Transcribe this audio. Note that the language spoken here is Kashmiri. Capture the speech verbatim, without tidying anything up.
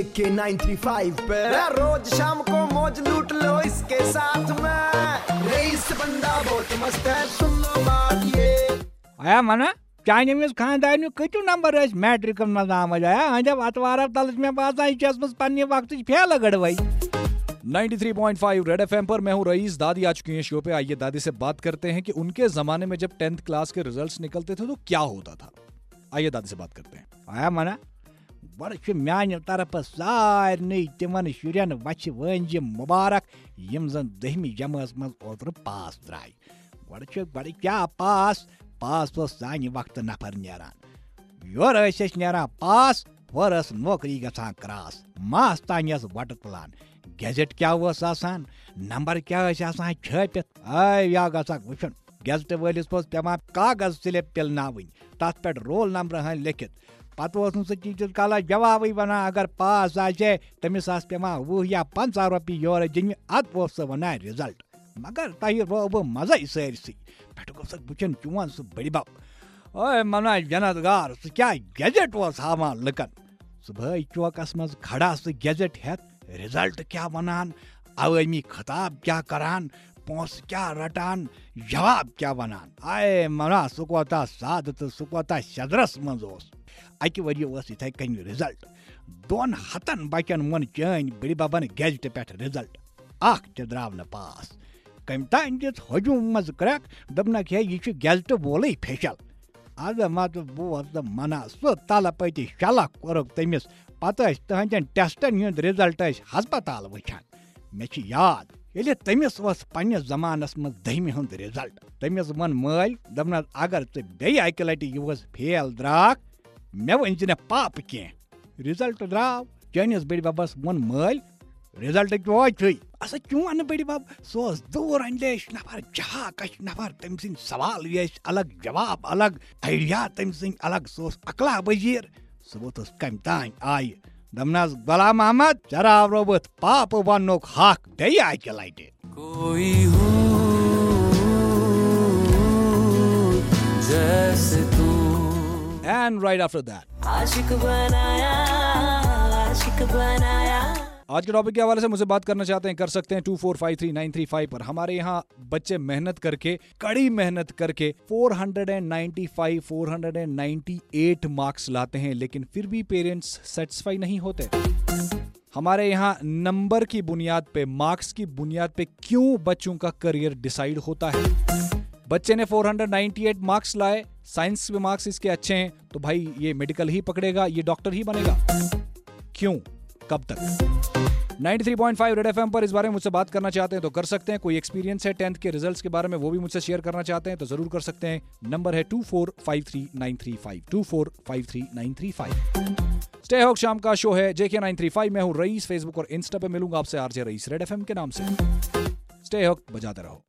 के नाइन थ्री फ़ाइव पे रोज शाम को मौज लूट लो इसके साथ में। रईस बंदा बहुत मस्त है, सुन लो बात ये। آیا منا، چانہِ أمِس خانٛدارنہِ کۭتیُو نمبر ٲسۍ میٹرکس منٛز آمٕتۍ؟ آیا أہنٛدٮ۪و اتوارو تلہٕ چھِ مےٚ باسان، یہِ چھِ ٲسمٕژ پننہِ وقتٕچ فیلہٕ گٔڑوَے۔ Ninety three point five red F M پر میں ہوں رئیس۔ دادی آ چکی ہیں شو پہ، آئیے دادی سے بات کرتے ہیں کہ ان کے زمانے میں جب ٹینتھ کلاس کے ریزلٹس نکلتے تھے تو کیا ہوتا تھا۔ آئیے دادی سے بات کرتے ہیں۔ آیا منا، گۄڈٕ چھُ میانہِ طرفہٕ سارنٕے تِمن شُرٮ۪ن وچھِ وٲنجہِ مُبارک، یِم زن دٔہمہِ جمٲژ منٛز اوترٕ پاس درٛاے۔ گۄڈٕ چھُ، گۄڈٕ کیٛاہ پاس؟ پاس اوس سانہِ وقتہٕ نفر نیران۔ یورٕ ٲسۍ أسۍ نیران پاس، ہورٕ ٲس نوکری گژھان کراس، ماس تانۍ ٲس وۄٹہٕ تُلان۔ گیزٹ کیٛاہ اوس آسان؟ نمبر کیٛاہ ٲسۍ آسان چھٲپِتھ؟ اے یا گژھکھ وٕچھُن، گیزٹہٕ وٲلِس اوس پٮ۪وان کاغذ سِلِپ پِلناوٕنۍ، تَتھ پٮ۪ٹھ رول نمبر ہن لیکھِتھ۔ پتہٕ اوس نہٕ سُہ ٹیٖچرس کالس جوابٕے ونان، اگر پاس آسہِ ہے، تٔمِس آسہٕ پٮ۪وان وُہ یا پنٛژاہ رۄپیہِ یورٕ دِنہِ، ادٕ اوس سُہ ونان رِزلٹ۔ مگر تۄہہِ روو بہٕ مزے سٲرسٕے۔ پٮ۪ٹھٕ گوٚو سُہ وٕچھان چون سُہ بٔڈِ بب۔ اوے منا جنت گار، سُہ کیٛاہ گیزٹ اوس ہاوان لُکن؟ صبحٲے چوکس منٛز کھڑا سُہ گیزٹ ہٮ۪تھ، رِزلٹ کیٛاہ ونان، عوٲمی خطاب کیٛاہ کران، پونٛسہٕ کیٛاہ رٹان، جواب کیٛاہ ونان۔ اے منا، سُہ کوتاہ سادٕ تہٕ سُہ کوتاہ شدرس منٛز اوس۔ اکہِ ؤریہِ اوس یِتھے کٔنۍ رِزلٹ۔ دۄن ہتن بچن ووٚن چٲنۍ بٔڈِ ببن گیزٹہٕ پٮ۪ٹھ رِزلٹ۔ اکھ تہِ درٛاو نہٕ پاس۔ کٔمۍ تام دِژ ہجوم منٛز کرٛٮ۪کھ، دوٚپنکھ، ہے، یہِ چھُ گیزٹہٕ وولٕے فیشل۔ از مت بوز تہٕ منا، سُہ تلہٕ پٔتہِ شلکھ کوٚرُکھ تٔمِس۔ پتہٕ ٲسۍ تٕہنٛدٮ۪ن ٹیسٹن ہُنٛد رِزلٹ ٲسۍ ہسپتال وٕچھان۔ مےٚ چھِ یاد، ییٚلہِ تٔمِس اوس پننِس زمانس منٛز دٔہمہِ ہُنٛد رِزلٹ، تٔمِس ووٚن مٲلۍ، دوٚپنس، اگر ژٕ بیٚیہِ اکہِ لٹہِ یِہُس فیل درٛاکھ، مےٚ ؤنۍ زِ نہٕ پاپہٕ کینٛہہ۔ رِزلٹ درٛاو، چٲنِس بٔڈِ ببس ووٚن مٲلۍ، رِزلٹ کیٛاہ چھُے؟ اسا چون بٔڈِ بب، سُہ اوس دوٗر اندیش نفر، جہاکش نفر، تٔمۍ سٕنٛدۍ سوال ٲسۍ الگ، جواب الگ، آئیڈیا تٔمۍ سٕنٛدۍ الگ، سُہ اوس عقلا وزیر۔ سُہ ووٚتھُس کمہِ تانۍ آیہِ، دوٚپنس، غلام محمد، ژےٚ راورووُتھ پاپہٕ وننُک حق بیٚیہِ اکہِ لٹہِ۔ कोई हूँ जैसे तू। And right after that, आशिक बनाया, आशिक बनाया। आज के टॉपिक के हवाले से मुझसे बात करना चाहते हैं, कर सकते हैं two four five three nine three five पर। हमारे यहाँ बच्चे मेहनत करके, कड़ी मेहनत करके four hundred and ninety five, four hundred and ninety eight marks लाते हैं, लेकिन फिर भी पेरेंट्स सेटिस्फाई नहीं होते। हमारे यहाँ नंबर की बुनियाद पे, मार्क्स की बुनियाद पे क्यों बच्चों का करियर डिसाइड होता है? बच्चे ने four hundred ninety eight marks लाए, साइंस में मार्क्स इसके अच्छे हैं, तो भाई ये मेडिकल ही पकड़ेगा, ये डॉक्टर ही बनेगा। क्यों, कब तक? Ninety three point five red F M पर इस बारे में मुझसे बात करना चाहते हैं तो कर सकते हैं। कोई एक्सपीरियंस है टेंथ के रिजल्ट्स के बारे में, वो भी मुझसे शेयर करना चाहते हैं तो जरूर कर सकते हैं। नंबर है two four five three nine three five, two four five three nine three five. Stay hooked शाम का शो है जेके नाइन थ्री फ़ाइव। मैं हूँ रईस, फेसबुक और इंस्टा पे मिलूंगा आपसे RJ rice red F M के नाम से। स्टे हॉक बजाते रहो।